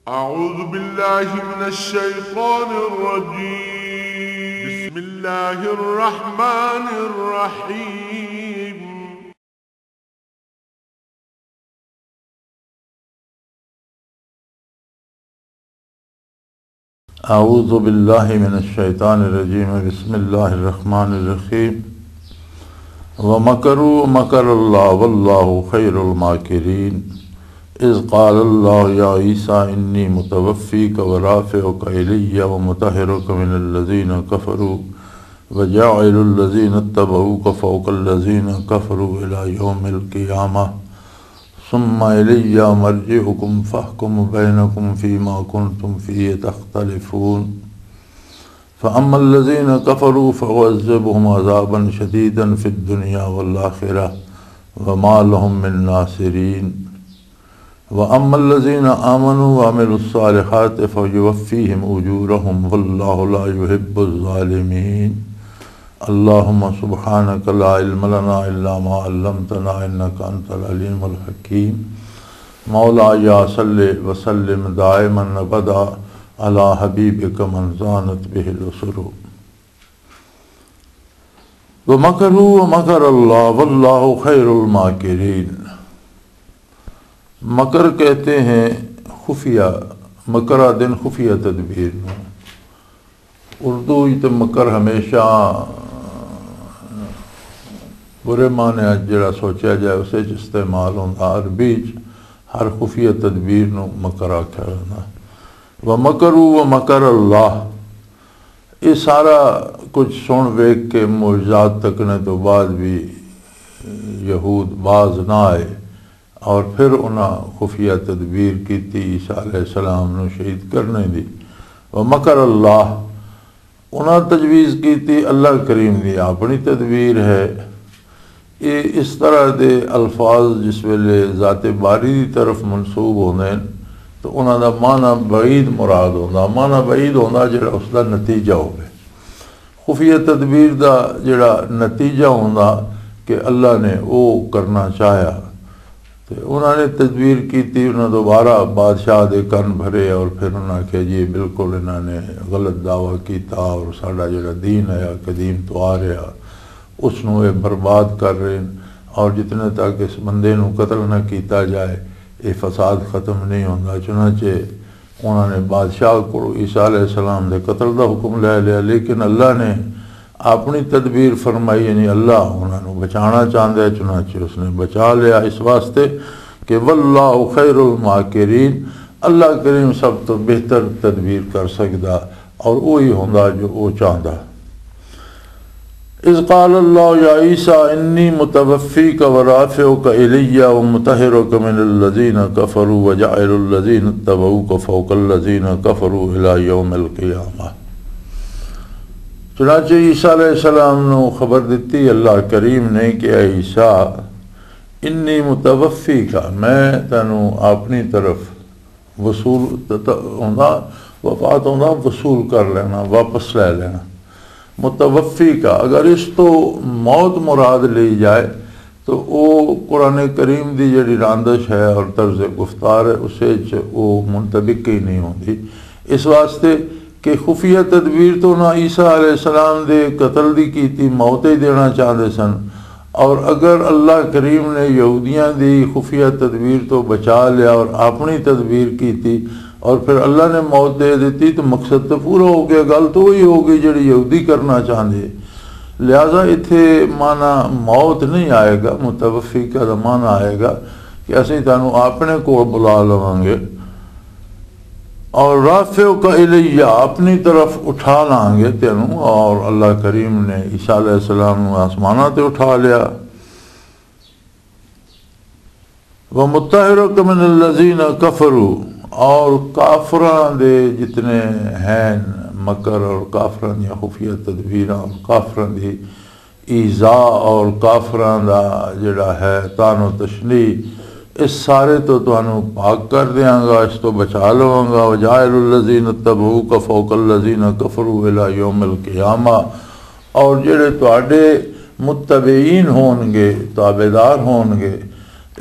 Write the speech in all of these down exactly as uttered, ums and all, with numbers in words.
أعوذ بالله من الشيطان الرجيم. بسم الله الرحمن الرحيم. أعوذ بالله من الشيطان الرجيم. بسم الله الرحمن الرحيم. ومكروا ومكر الله والله خير الماكرين. إذ قال الله يا عيسى إني متوفيك ورافعك إلي ومطهرك من الذين كفروا وجاعل الذين اتبعوك فوق الذين كفروا إلى يوم القيامة ثم إلي مرجعكم فأحكم بينكم فيما كنتم فيه تختلفون. فأما الذين كفروا فأعذبهم عذابا شديدا في الدنيا والآخرة وما لهم من ناصرين. وأما الذين آمنوا وعملوا الصالحات فيوفيهم أجورهم والله لا يحب الظالمين. اللهم سبحانك لا علم لنا إلا ما علمتنا إنك أنت العليم الحكيم. مولاي صل وسلم دائما أبدا على حبيبك من زانت به الأسر. ومكروا ومكر الله والله خير الماكرين. مکر کہتے ہیں خفیہ، مکر آدن خفیہ تدبیر نو۔ اردو وچ تے مکر ہمیشہ برے معنی وچ جڑا سوچیا جائے، اسے وچ استعمال ہوندا۔ عربی وچ ہر خفیہ تدبیر نو مکر آکھیا ویندا۔ وَمَكَرُوا وَمَكَرَ اللَّهُ۔ یہ سارا کچھ سن ویکھ کے، معجزات تکنے تو بعد بھی یہود باز نہ آئے، اور پھر انہاں خفیہ تدبیر کیتی عیسیٰ علیہ السلام نو شہید کرنے دی۔ وَمَكَرَ اللَّهُ، انہاں تجویز کیتی اللہ کریم دی اپنی تدبیر ہے۔ یہ اس طرح دے الفاظ جس ویلے ذات باری دی طرف منسوب ہوندے ہیں تو انہاں دا معنی بعید مراد ہوندا۔ معنی بعید ہوندا جڑا اس دا نتیجہ ہوے۔ خفیہ تدبیر دا جڑا نتیجہ ہوندا کہ اللہ نے او کرنا چاہیا۔ تے انہاں نے تدبیر کیتی، انہاں دوبارہ بادشاہ دے کن بھرے اور پھر انہاں آکھیا، "جی، بالکل انہاں نے غلط دعویٰ کیتا اور ساڈا جڑا دین آیا، قدیم تو آ رہا، اس نوں اے برباد کر رہے ہیں اور جتنے تک اس بندے نوں قتل نہ کیتا جائے، اے فساد ختم نہیں ہوندا۔" چنانچہ انہاں نے بادشاہ کو عیسیٰ علیہ السلام دے قتل دا حکم لے لیا، لیکن اللہ نے اپنی تدبیر فرمائی، یعنی اللہ انہاں نوں بچانا چاہندا ہے، چنانچہ اس نے بچا لیا، اس واسطے کہ واللہ خیر الماکرین، اللہ کریم سب تو بہتر تدبیر کر سکدا اور وہی ہوندا جو وہ چاہندا۔ اذ قال اللہ یا عیسیٰ انی متوفیک و رافعک الی و مطہرک من الذین کفروا و جاعل الذین اتبعوک فوق الذین کفروا الی یوم القیامہ۔ چنانچہ عیسیٰ علیہ السلام نو خبر دتی اللہ کریم نے کہ اے عیسیٰ، انی متوفی کا، میں تینوں اپنی طرف وصول ت-، ت-، ہوندا، وفات ہوندا، وصول کر لینا، واپس لے لینا۔ متوفی کا، اگر اس تو موت مراد لی جائے تو او قرآن کریم دی جڑی راندش ہے اور طرز گفتار ہے، اسے چ او منطبق ہی نہیں ہوندی۔ اس واسطے کہ خفیہ تدبیر تو نہ عیسیٰ علیہ السلام دے قتل دی کیتی، موت ہی دینا چاہندے سن، اور اگر اللہ کریم نے یہودیاں دی خفیہ تدبیر تو بچا لیا اور اپنی تدبیر کیتی اور پھر اللہ نے موت دے دیتی تو مقصد تو پورا ہو گیا، گل تو وہی ہو گئی جڑی یہودی کرنا چاہندے۔ لہذا اتھے معنی موت نہیں آئے گا، متوفی کا معنی آئے گا کہ اسیں تانوں اپنے کول بلا لواں گے اور رافعک الیہ، اپنی طرف اٹھا لانگے تینوں، اور اللہ کریم نے عیسیٰ علیہ السلام نوں آسماناں تے اٹھا لیا۔ ومطہرک من الذین کفروا، اور کافراں دے جتنے ہیں مکر اور کافراں دیاں خفیہ تدبیراں اور کافراں دی ایذا اور کافراں دا جڑا ہے طعن و تشنیع، اس سارے تو تانوں پاک کر دیاں گا، اس تو بچا لواں گا۔ وجاعل الذین اتبعوک فوق الذین کفروا الی یوم القیامہ، اور جڑے تواڈے متبعین ہون گے، تابعدار ہون گے،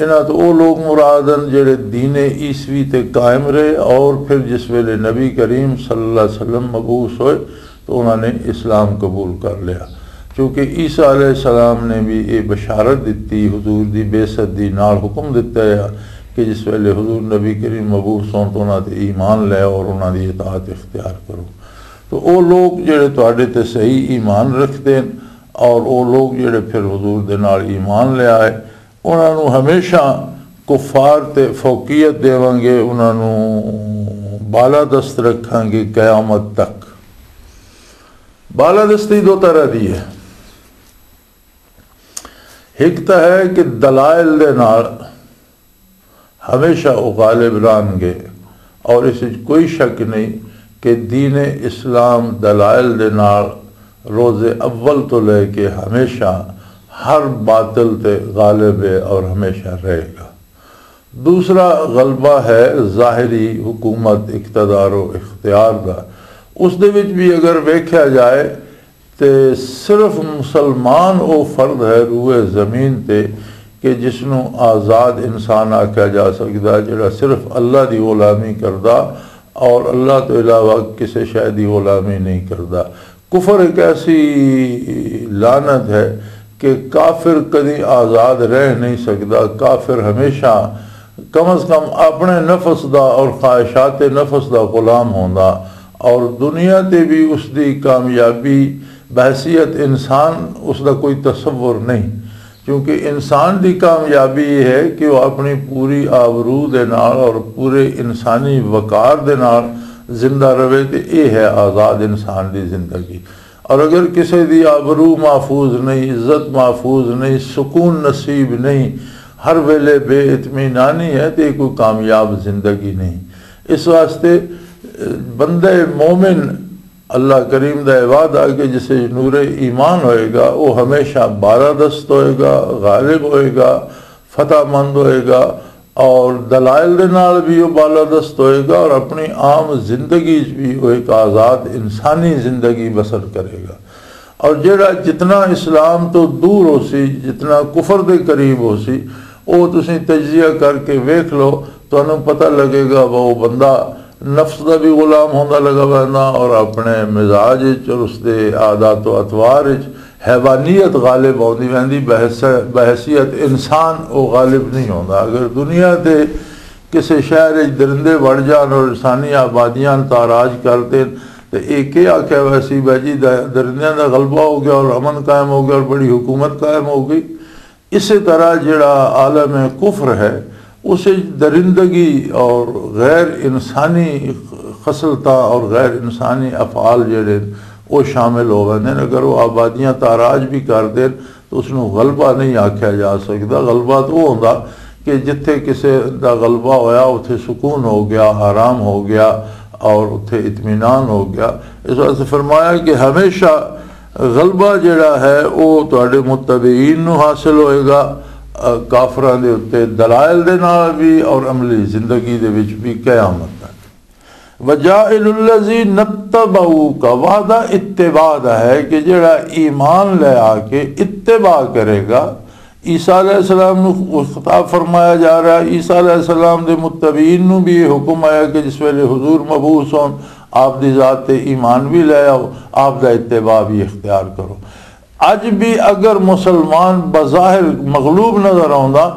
انہاں تو او لوگ مراد ہن جڑے دین عیسوی تے قائم رہے، اور پھر جس ویلے نبی کریم صلی اللہ علیہ وسلم مبعوث ہوئے تو انہاں نے اسلام قبول کر لیا۔ کیونکہ عیسیٰ علیہ السلام نے بھی یہ بشارت دتی، حضور دی بعثت دی نال حکم دتا ہے کہ جس ویلے حضور نبی کریم مبعوث ہون تو انہاں تے ایمان لے اور انہاں دی اطاعت اختیار کرو۔ تو او لوگ جڑے تواڈے تے صحیح ایمان رکھدے ہن اور او لوگ جڑے پھر حضور دے نال ایمان لے آئے، انہاں نوں ہمیشہ کفار تے فوقیت دیواں گے، انہاں نوں بالادست رکھاں گے قیامت تک۔ بالادستی دو طرح دی ہے۔ ایک تو ہے کہ دلائل دے نال ہمیشہ وہ غالب رہن گے، اور اس وچ کوئی شک نہیں کہ دین اسلام دلائل دے نال روز اول تو لے کے ہمیشہ ہر باطل تے غالب ہے اور ہمیشہ رہے گا۔ دوسرا غلبہ ہے ظاہری حکومت، اقتدار و اختیار دا۔ اس دے وچ بھی اگر ویکھیا جائے تے صرف مسلمان او فرد ہے روئے زمین تے کہ جس نوں آزاد انسان آکھیا جا سکدا، جڑا صرف اللہ دی غلامی کردا اور اللہ تو علاوہ کسے شے دی غلامی نہیں کردا۔ کفر ایک ایسی لعنت ہے کہ کافر کدی آزاد رہ نہیں سکدا۔ کافر ہمیشہ کم از کم اپنے نفس دا اور خواہشات نفس دا غلام ہوندا، اور دنیا تے بھی اس دی کامیابی بحیثیت انسان اس دا کوئی تصور نہیں۔ کیونکہ انسان دی کامیابی یہ ہے کہ وہ اپنی پوری آبرو دے نال اور پورے انسانی وقار دے نال زندہ رہے، تے یہ ہے آزاد انسان دی زندگی۔ اور اگر کسی دی آبرو محفوظ نہیں، عزت محفوظ نہیں، سکون نصیب نہیں، ہر ویلے بے اطمینانی ہے، تو یہ کوئی کامیاب زندگی نہیں۔ اس واسطے بندہ مومن، اللہ کریم دا یہ وعدہ کہ جسے نور ایمان ہوئے گا، وہ ہمیشہ بالادست ہوئے گا، غالب ہوئے گا، فتح مند ہوئے گا، اور دلائل دے نال بھی وہ بالادست ہوئے گا، اور اپنی عام زندگی وچ بھی وہ ایک آزاد انسانی زندگی بسر کرے گا۔ اور جڑا جتنا اسلام تو دور ہو سی، جتنا کفر دے قریب ہو سی، وہ تسی تجزیہ کر کے ویکھ لو، تانوں پتہ لگے گا وہ بندہ نفس دا بھی غلام ہوندا لگا ویندا اور اپنے مزاج وچ اور اس دے عادات و اطوار وچ حیوانیت غالب ہوندی ویندی، بحث-، بحیثیت انسان وہ غالب نہیں ہوندا۔ اگر دنیا دے کسے شہر وچ درندے وڑ جان اور انسانی آبادیاں تاراج کر دین، تے اے کے آکھیا ویسی بھائی جی، دا-، درندیاں دا غلبہ ہو گیا اور امن قائم ہو گیا اور بڑی حکومت قائم ہو گئی۔ اسی طرح جڑا عالم کفر ہے، اس وچ درندگی اور غیر انسانی خصلتاں اور غیر انسانی افعال جڑے، وہ شامل ہو ویندے نے۔ اگر وہ آبادیاں تاراج بھی کر دین تو اس نوں غلبہ نہیں آکھیا جا سکدا۔ غلبہ تو وہ ہوندا کہ جتھے کسے دا غلبہ ہویا، اتھے سکون ہو گیا، آرام ہو گیا اور اتھے اطمینان ہو گیا۔ اس واسطے فرمایا کہ ہمیشہ غلبہ جڑا ہے، او تہاڈے متبعین نوں حاصل ہوئے گا، اَ، کافراں دے اُتے دلائل دے نال بھی اور عملی زندگی دے وچ بھی قیامت تک۔ وجاعل الذین اتبعوک، وعدہ اتباع دا ہے کہ جڑا ایمان لے آ کے اتباع کرے گا۔ عیسیٰ علیہ السلام نوں خطاب فرمایا جا رہا ہے۔ عیسیٰ علیہ السلام دے متبعین نوں بھی یہ حکم آیا کہ جس ویلے حضور مبعوث ہون، آپ دی ذات تے ایمان بھی لے آؤ، آپ دا اتباع بھی اختیار کرو۔ اج بھی اگر مسلمان بظاہر مغلوب نظر آوندا،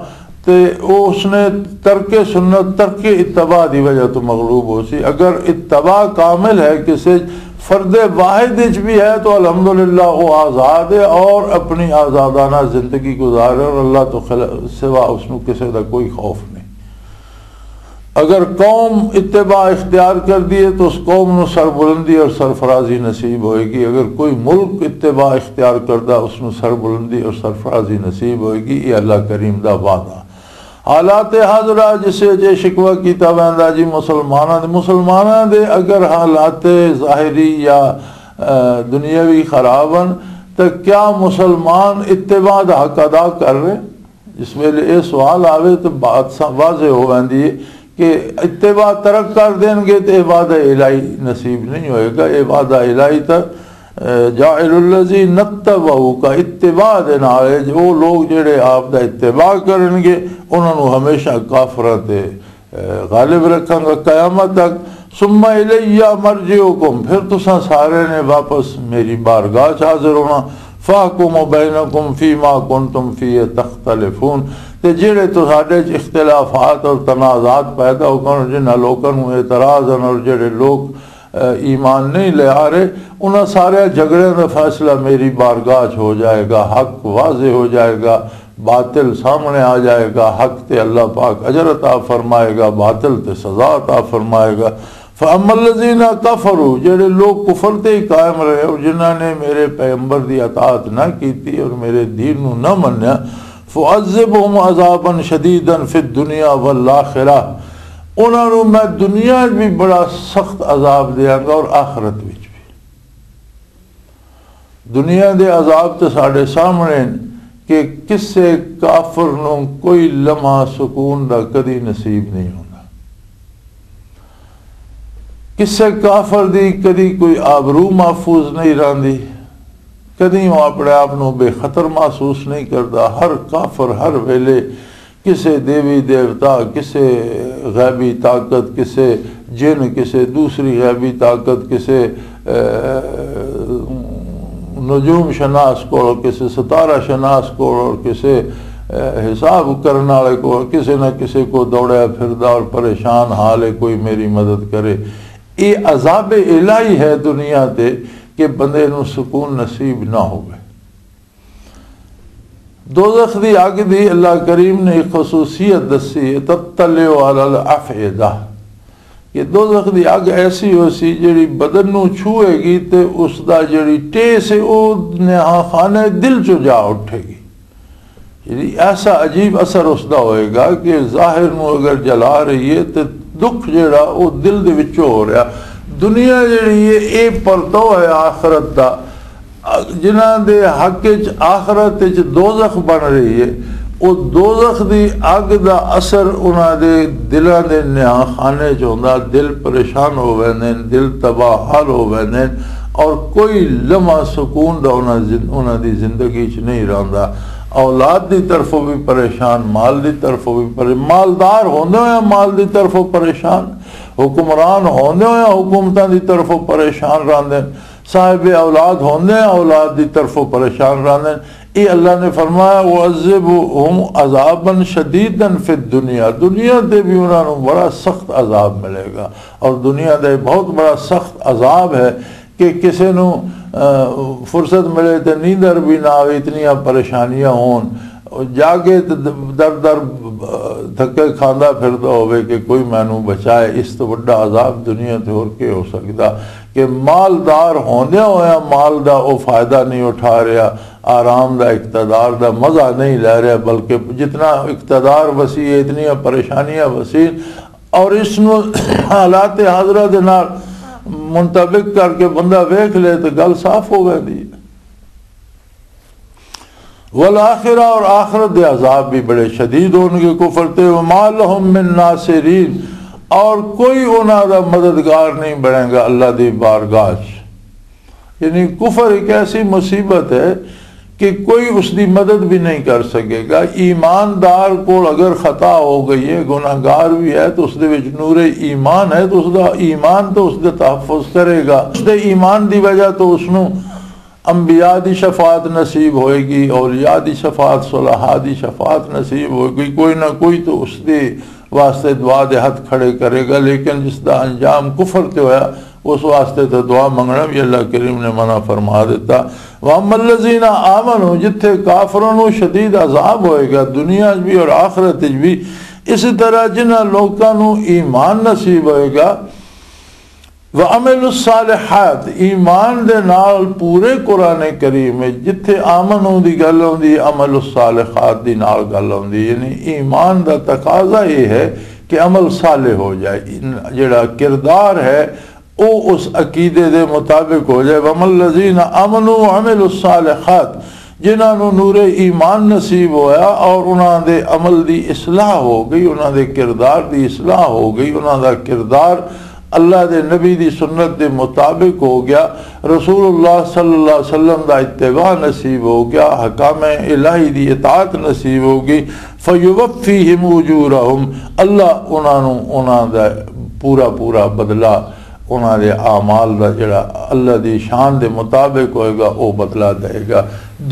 تے او اس نے ترک سنت، ترک اتباع دی وجہ تو مغلوب ہو سی۔ اگر اتباع کامل ہے، کسی فرد واحد وچ بھی ہے، تو الحمدللہ وہ آزاد ہے اور اپنی آزادانہ زندگی گزار رہا ہے اور اللہ تو خلا-، سوا اس نو کسی دا کوئی خوف نہیں۔ اگر قوم اتباع اختیار کر دیے تو اس قوم نو سربلندی اور سرفرازی نصیب ہوئے گی۔ اگر کوئی ملک اتباع اختیار کردا، اس نو سربلندی اور سرفرازی نصیب ہوئے گی۔ یہ اللہ کریم دا وعدہ۔ حالات حاضرہ جسے جے شکوہ کیتا ویندا جی مسلماناں دے، مسلماناں دے اگر حالات ظاہری یا، اے، دنیاوی خراب ہن تو کیا مسلمان اتباع دا حق ادا کر رہے؟ جس ویلے یہ سوال آوے تو بات سا-، واضح ہو ویندی ہے کہ اتباع ترک کر دین گے تو یہ وعدہ الہی نصیب نہیں ہوئے گا۔ یہ وعدہ الہی تو جاعل الذین اتبعوک، اتباع دے نال اے جو او لوگ جڑے آپ دا اتباع کرنگے، انہاں نوں ہمیشہ کافراں تے، اے، غالب رکھاں گا قیامت تک۔ ثم الی مرجعکم، پھر تساں سارے نے واپس میری بارگاہ چ حاضر ہونا۔ فاحکم بینکم فیما کنتم فیہ تختلفون، تے جڑے تساڈے چ اختلافات اور تنازعات پیدا ہو گئے، جنہاں لوکاں نوں اعتراض ہن اور جڑے لوگ ایمان نہیں لے آ رہے، انہاں سارے جھگڑیاں دا فیصلہ میری بارگاہ چ ہو جائے گا، حق واضح ہو جائے گا، باطل سامنے آ جائے گا، حق تے اللہ پاک اجر عطا فرمائے گا، باطل تے سزا عطا فرمائے گا۔ فَأَمَّا الَّذِينَ كَفَرُوا، جڑے لوگ کفر تے ہی قائم رہے اور جنہاں نے میرے پیغمبر دی اطاعت نہ کیتی اور میرے دین نو نہ منیا، فَأُعَذِّبْهُمْ عَذَابًا شَدِيدًا فِي الدُّنْيَا وَالْآخِرَةِ، انہاں نوں میں دنیا وچ بھی بڑا سخت عذاب دیاں گا اور آخرت وچ بھی۔ دنیا دے عذاب تے ساڈے سامنے ہن کہ کسے کافر نوں کوئی لمحہ سکون دا کدی نصیب نہیں ہوندا۔ کسے کافر دی کدی کوئی آبرو محفوظ نہیں رہندی، کدی وہ اپنے آپ نوں بے خطر محسوس نہیں کردا۔ ہر کافر ہر ویلے کسے دیوی دیوتا، کسے غیبی طاقت، کسے جن، کسے دوسری غیبی طاقت، کسے، اے، نجوم شناس کو، کسے ستارہ شناس کو، اور کسے، اے، حساب کرن والے کو، کسے نہ کسے کو دوڑیا پھردا اور پریشان حال ہے، کوئی میری مدد کرے۔ یہ عذاب الہی ہے دنیا تے کہ بندے نوں سکون نصیب نہ ہوئے۔ دوزخ دی اگ دی اللہ کریم نے ایک خصوصیت دسی ہے، تطلع علی الافئدہ، کہ دوزخ دی اگ ایسی ہو سی جڑی بدن نو چھوئے گی تے اس دا جڑی ٹیس ہے او نہاں خانہ دل چو جا اٹھے گی۔ یعنی ایسا عجیب اثر اس دا ہوئے گا کہ ظاہر نو اگر جلا رہی ہے تے دکھ جڑا او دل دے وچوں ہو رہا۔ دنیا جڑی ہے اے پرتو ہے آخرت دا۔ جنہاں دے حق وچ آخرت وچ دوزخ بن رہی ہے، او دوزخ دی اگ دا اثر انہاں دے دلاں دے نہاں خانے چ ہوندا، دل پریشان ہو ویندے نے، دل تباہ حال ہو ویندے نے، اور کوئی لمحہ سکون دا انہاں زن-، انہاں دی زندگی چ نہیں رہندا۔ اولاد دی طرفوں بھی پریشان، مال دی طرفوں بھی پریشان، مالدار ہوندے ہوئے مال دی طرفوں پریشان، حکمران ہوندے ہوئے حکومتاں دی طرفوں پریشان رہندے نے، صاحب اولاد ہوندے ہیں، اولاد دی طرفوں پریشان رہندے ہیں۔ اے اللہ نے فرمایا، "وَعَذِّبْهُمْ عَذَابًا شَدِيدًا فِي الدُّنْيَا"، دنیا تے بھی انہاں نوں بڑا سخت عذاب ملے گا۔ اور دنیا دا یہ بہت بڑا سخت عذاب ہے کہ کسے نوں، آ، فرصت ملے تے نیندر بھی نہ آوے، اتنیاں پریشانیاں ہون، جاگے تے در در دھکے کھاندا پھردا ہووے کہ کوئی مینوں بچائے۔ اس تو وڈا عذاب دنیا تے ہور کے ہو سکدا؟ کہ مالدار ہوندیاں ہویاں مال دا او فائدہ نہیں اٹھا رہیا، آرام دا، اقتدار دا مزہ نہیں لے رہیا، بلکہ جتنا اقتدار وسیع ہے، اتنیاں پریشانیاں وسیع، اور اس نو حالات حاضرہ دے نال منطبق کر کے بندہ ویکھ لے تو گل صاف ہو ویندی ہے۔ والآخرہ، اور آخرت دے عذاب بھی بڑے شدید ہون گے کفر تے۔ وما لهم من ناصرین، اور کوئی انہاں دا مددگار نہیں بنے گا اللہ دی بارگاہ چ۔ یعنی کفر ایک ایسی مصیبت ہے کہ کوئی اس دی مدد بھی نہیں کر سکے گا۔ ایماندار کو اگر خطا ہو گئی ہے، گناہگار بھی ہے، تو اس دے وچ نور ایمان ہے، تو اس دا ایمان تو اس دے تحفظ کرے گا۔ اس دے ایمان دی وجہ تو اس نو انبیاء دی شفاعت نصیب ہوئے گی، اولیاء دی شفاعت، صلحاء دی شفاعت نصیب ہوئے گی، کوئی نہ کوئی تو اس دے واسطے دعا دے ہتھ کھڑے کرے گا، لیکن جس دا انجام کفر تے ہویا، اس واسطے تے دعا منگنا بھی اللہ کریم نے منع فرما دیتا۔ وَأَمَّا الَّذِينَ آمَنُوا، جتھے کافروں نو شدید عذاب ہوئے گا دنیا وچ بھی اور آخرت وچ بھی، اسی طرح جنہاں لوکاں نو ایمان نصیب ہوئے گا، وعملوا الصالحات، ایمان دے نال پورے قرآن کریم وچ جتھے آمنو دی گل ہوندی ہے، عمل الصالحات دی نال گل ہوندی ہے۔ یعنی ایمان دا تقاضا یہ ہے کہ عمل صالح ہو جائے، ان-، جڑا کردار ہے او اس عقیدے دے مطابق ہو جائے۔ وَأَمَّا الَّذِينَ آمَنُوا وَعَمِلُوا الصَّالِحَاتِ، جنہاں نوں نور ایمان نصیب ہویا اور انہاں دے عمل دی اصلاح ہو گئی، انہاں دے کردار دی اصلاح ہو گئی، انہاں دا کردار اللہ دے نبی دی سنت دے مطابق ہو گیا، رسول اللہ صلی اللہ علیہ وسلم دا اتباع نصیب ہو گیا، حکام الہی دی اطاعت نصیب ہو گئی، فیوفیہم اجورہم، اللہ انہاں نوں انہاں دا پورا پورا بدلہ، انہاں دے اعمال دا جڑا اللہ دی شان دے مطابق ہوئے گا، او بدلہ دے گا۔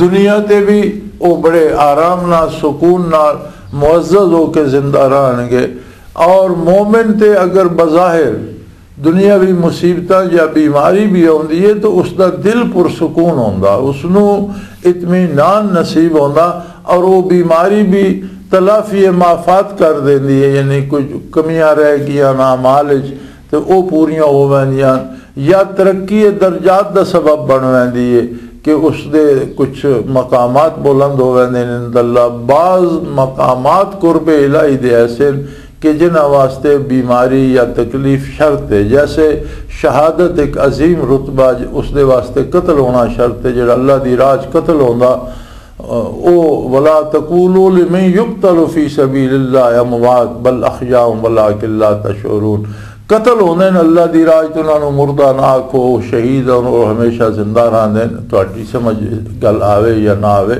دنیا تے بھی او بڑے آرام نال، سکون نال، معزز ہو کے زندہ رہن گے۔ اور مومن تے اگر بظاہر دنیاوی مصیبتاں یا بیماری بھی آندی ہے تو اس دا دل پرسکون ہوندا، اس نوں اطمینان نصیب ہوندا، اور وہ بیماری بھی تلافی مافات کر دیندی ہے، یعنی کچھ کمیاں رہ گئیاں نا مال وچ تے او پوریاں ہو ویندیاں، یا ترقی درجات دا سبب بن ویندی ہے کہ اس دے کچھ مقامات بلند ہو ویندے نے۔ اللہ، بعض مقامات قرب الہی دے ایسے ہیں کہ جنہاں واسطے بیماری یا تکلیف شرط ہے، جیسے شہادت ایک عظیم رتبہ، اس دے واسطے قتل ہونا شرط ہے، جڑا اللہ دی راہ 'چ قتل ہوندا، او، ولا تقولوا لمن يقتل في سبيل الله اموات بل احياء ولكن لا تشعرون۔ قتل ہوندے نے اللہ دی راہ 'چ، انہاں نوں مردہ نہ آکھو، شہید ہن اور ہمیشہ زندہ رہندے نے۔ تہاڈی سمجھ گل آوے یا نہ آوے،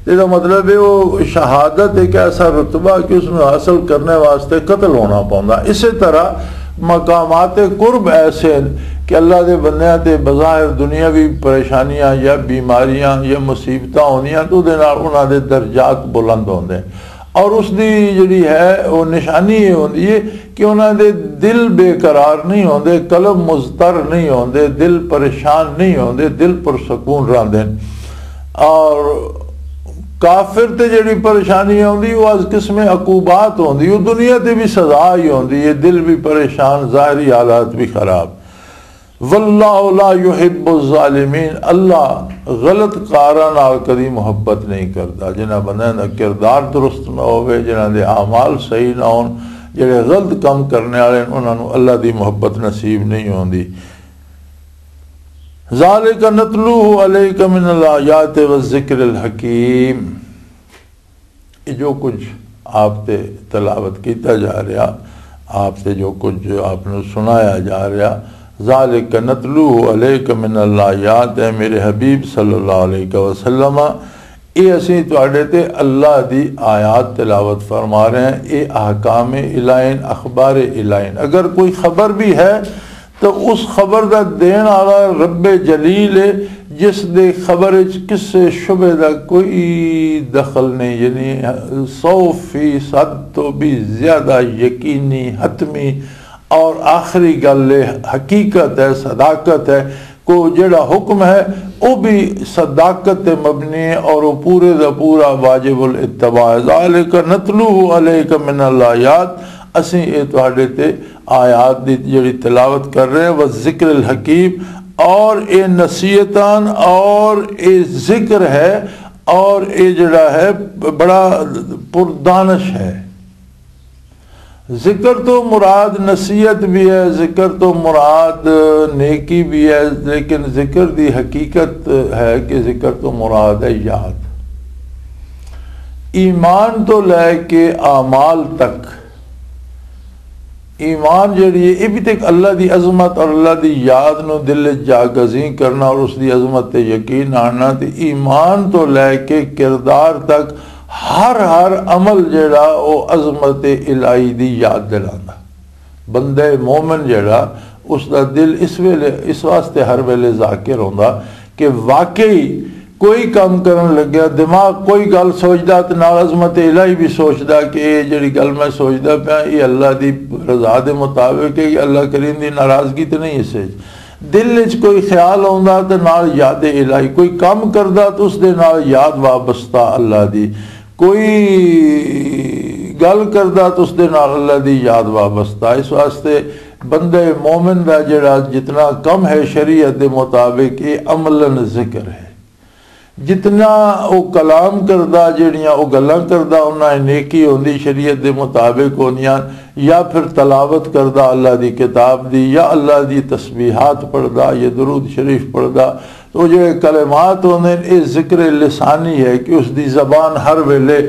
تے دا مطلب ہے وہ شہادت ایک ایسا رتبہ کہ اس میں حاصل کرنے واسطے قتل ہونا پوندا۔ اسی طرح مقامات قرب ایسے ہیں کہ اللہ دے بندیاں تے بظاہر دنیاوی پریشانیاں یا بیماریاں یا مصیبتاں ہوندیاں تو دے نال انہاں دے درجات بلند ہوندے ہیں۔ اور اس دی جڑی ہے وہ نشانی یہ ہوندی ہے کہ انہاں دے دل بے قرار نہیں ہوندے، قلب مضطر نہیں ہوندے، دل پریشان نہیں ہوندے، دل پر سکون رہندے ہیں۔ اور کافر تے جڑی پریشانی ہوندی وہ از قسم عقوبات ہوندی، وہ دنیا تے بھی سزا ہی ہوندی ہے، دل بھی پریشان، ظاہری حالات بھی خراب۔ واللہ لا یحب الظالمین، اللہ غلط کاراں نال کدی محبت نہیں کردا۔ جنہاں بندیاں دا کردار درست نہ ہووے، جنہاں دے اعمال صحیح نہ ہون، جڑے غلط کم کرنے والے ہیں، انہاں نوں اللہ دی محبت نصیب نہیں ہوندی۔ ذالک نتلوہ علیک من الآیات والذکر الحکیم۔ یہ جو کچھ آپ تے تلاوت کیتا جا رہا، آپ تے جو کچھ آپ نو سنایا جا رہا، ذالک نتلوہ علیک من الآیات، اے میرے حبیب صلی اللہ علیہ وسلم، یہ اسی تواڈے تے اللہ دی آیات تلاوت فرما رہے ہیں، یہ احکام الہین، اخبار الہین۔ اگر کوئی خبر بھی ہے تو اس خبر دا دین والا رب جلیل ہے، جس دے خبر وچ کسے شبے دا کوئی دخل نہیں، یعنی سو فیصد تو بھی زیادہ یقینی، حتمی اور آخری گل ہے، حقیقت ہے، صداقت ہے۔ کو جڑا حکم ہے، وہ بھی صداقت تے مبنی ہے اور وہ پورے دا پورا واجب الاتباع ہے۔ ذالک نتلوہ علیک من الآیات، اسیں اے تواڈے تے آیات دی جڑی تلاوت کر رہے ہیں، وہ ذکر الحکیم، اور اے نصیحتان، اور اے ذکر ہے، اور اے جڑا ہے بڑا پردانش ہے۔ ذکر تو مراد نصیحت بھی ہے، ذکر تو مراد نیکی بھی ہے، لیکن ذکر دی حقیقت ہے کہ ذکر تو مراد ہے یاد۔ ایمان تو لے کے اعمال تک، ایمان جڑی ہے، یہ بھی تے ایک اللہ دی عظمت اور اللہ دی یاد نو دل وچ جاگزین کرنا اور اس دی عظمت تے یقین آنا۔ تے ایمان تو لے کے کردار تک ہر، ہر عمل جڑا، او عظمت الہی دی یاد دلاندا۔ بندہ مومن جڑا، اس دا دل اس ویلے، اس واسطے ہر ویلے ذاکر ہوندا کہ واقعی کوئی کام کرن لگیا، دماغ کوئی گل سوچدا تے نال عظمت الہی بھی سوچدا کہ اے جڑی گل میں سوچدا پیا، اے اللہ دی رضا دے مطابق ہے، اے اللہ کریم دی ناراضگی تے نہیں اس وچ۔ دل وچ کوئی خیال آوندا تے نال یاد الہی، کوئی کم کردا تے اس دے نال یاد وابستہ اللہ دی، کوئی گل کردا تے اس دے نال اللہ دی یاد وابستہ۔ اس واسطے بندے مومن دا جڑا جتنا کم ہے شریعت دے مطابق، یہ عملاً ذکر ہے۔ جتنا او کلام کردا، جڑیاں او گلاں کردا، انہاں نیکی ہوندی، شریعت دے مطابق ہوندیاں، یا پھر تلاوت کردا اللہ دی کتاب دی، یا اللہ دی تسبیحات پڑھدا، یا درود شریف پڑھدا۔ تو جڑے کلمات ہوندے نے، اے ذکر لسانی ہے کہ اس دی زبان ہر ویلے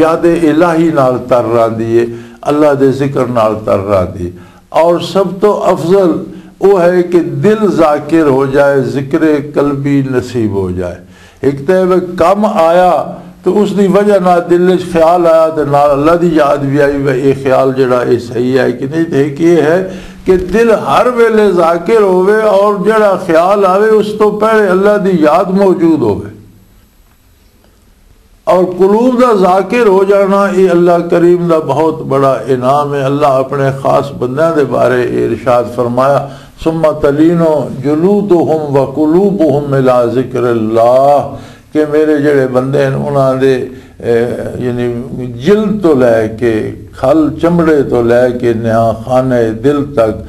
یاد الہی نال تر راندی ہے، اللہ دے ذکر نال تر راندی۔ اور سب تو افضل وہ ہے کہ دل ذاکر ہو جائے، ذکر قلبی نصیب ہو جائے۔ ایک تے وہ کم آیا تو اس دی وجہ نال دل وچ خیال آیا تے نال اللہ دی یاد بھی آئی، وہ یہ خیال جڑا یہ صحیح ہے کہ نہیں؟ تے ایک یہ ہے کہ دل ہر ویلے ذاکر ہوئے اور جڑا خیال آوے اس تو پہلے اللہ دی یاد موجود ہوئے۔ اور قلوب دا ذاکر ہو جانا، یہ اللہ کریم دا بہت بڑا انعام ہے۔ اللہ اپنے خاص بندیاں دے بارے یہ ارشاد فرمایا، "ثم تلین جلودہم وقلوبہم الی ذکر اللہ"، کہ میرے جڑے بندے ہیں، انہاں دے، اے، یعنی جلد تو لے کے، کھل چمڑے تو لے کے نہاں خانہ دل تک،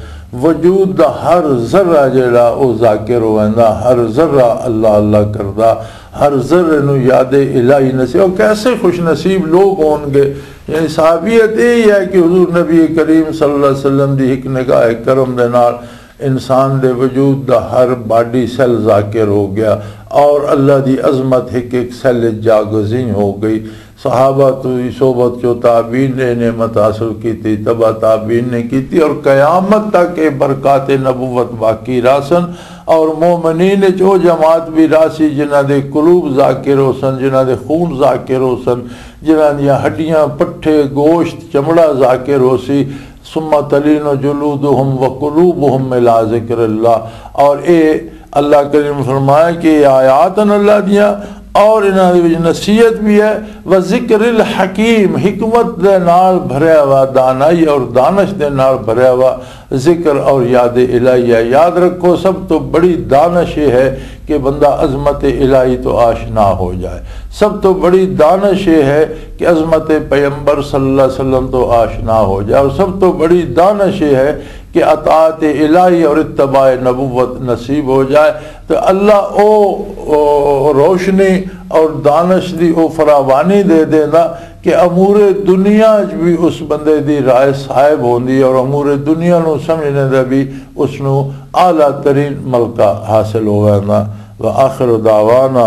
وجود دا ہر ذرہ جڑا او ذاکر ہوندا، ہر ذرہ اللہ اللہ کردا، ہر ذرے نو یاد الہی نصیب۔ او کیسے خوش نصیب لوگ ہون گے۔ یعنی صحابیت یہ ہے کہ حضور نبی کریم صلی اللہ علیہ وسلم دی ایک نگاہ کرم دے نال انسان دے وجود دا ہر باڈی سیل ذاکر ہو گیا اور اللہ دی عظمت ایک ایک سیل وچ جاگزین ہو گئی۔ صحابہ تو ہی صحبت چو تابعین نے نعمت حاصل کیتی، تبع تابعین نے کیتی، اور قیامت تک یہ برکات نبوت باقی راسن۔ اور مومنین وچ او جماعت بھی راسی جنہاں دے قلوب ذاکر ہو سن، جنہاں دے خون ذاکر ہو سن، جنہاں دیاں ہڈیاں، پٹھے، گوشت، چمڑا ذاکر ہو سی۔ ثم تلین جلودہم وقلوبہم الی ذکر اللہ۔ اور اے اللہ کریم فرمایا کہ یہ آیات ہیں اللہ دیاں، اور انہاں دے وچ نصیحت بھی ہے، وذکر الحکیم، حکمت دے نال بھریا ہوا، دانائی اور دانش دے نال بھریا ہوا ذکر اور یاد الہیہ۔ یاد رکھو، سب تو بڑی دانش یہ ہے کہ بندہ عظمت الہی تو آشنا ہو جائے۔ سب تو بڑی دانش یہ ہے کہ عظمت پیغمبر صلی اللہ علیہ وسلم تو آشنا ہو جائے، اور سب تو بڑی دانش یہ ہے کہ اطاعت الہی اور اتباع نبوت نصیب ہو جائے۔ تو اللہ او، او روشنی اور دانش دی او فراوانی دے دیندا کہ امور دنیا وچ بھی اس بندے دی رائے صاحب ہوندی ہے اور امور دنیا نو سمجھنے دا بھی اس نو اعلیٰ ترین ملکہ حاصل ہو ویندا۔ وآخر دعوانا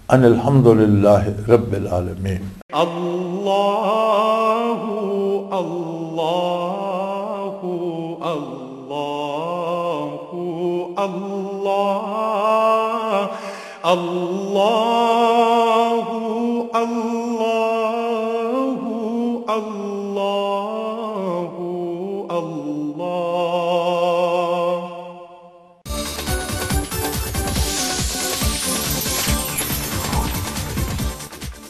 ان الحمد للہ رب العالمین۔ اللہ، اللہ، اللہ، اللہ، اللہ، اللہ۔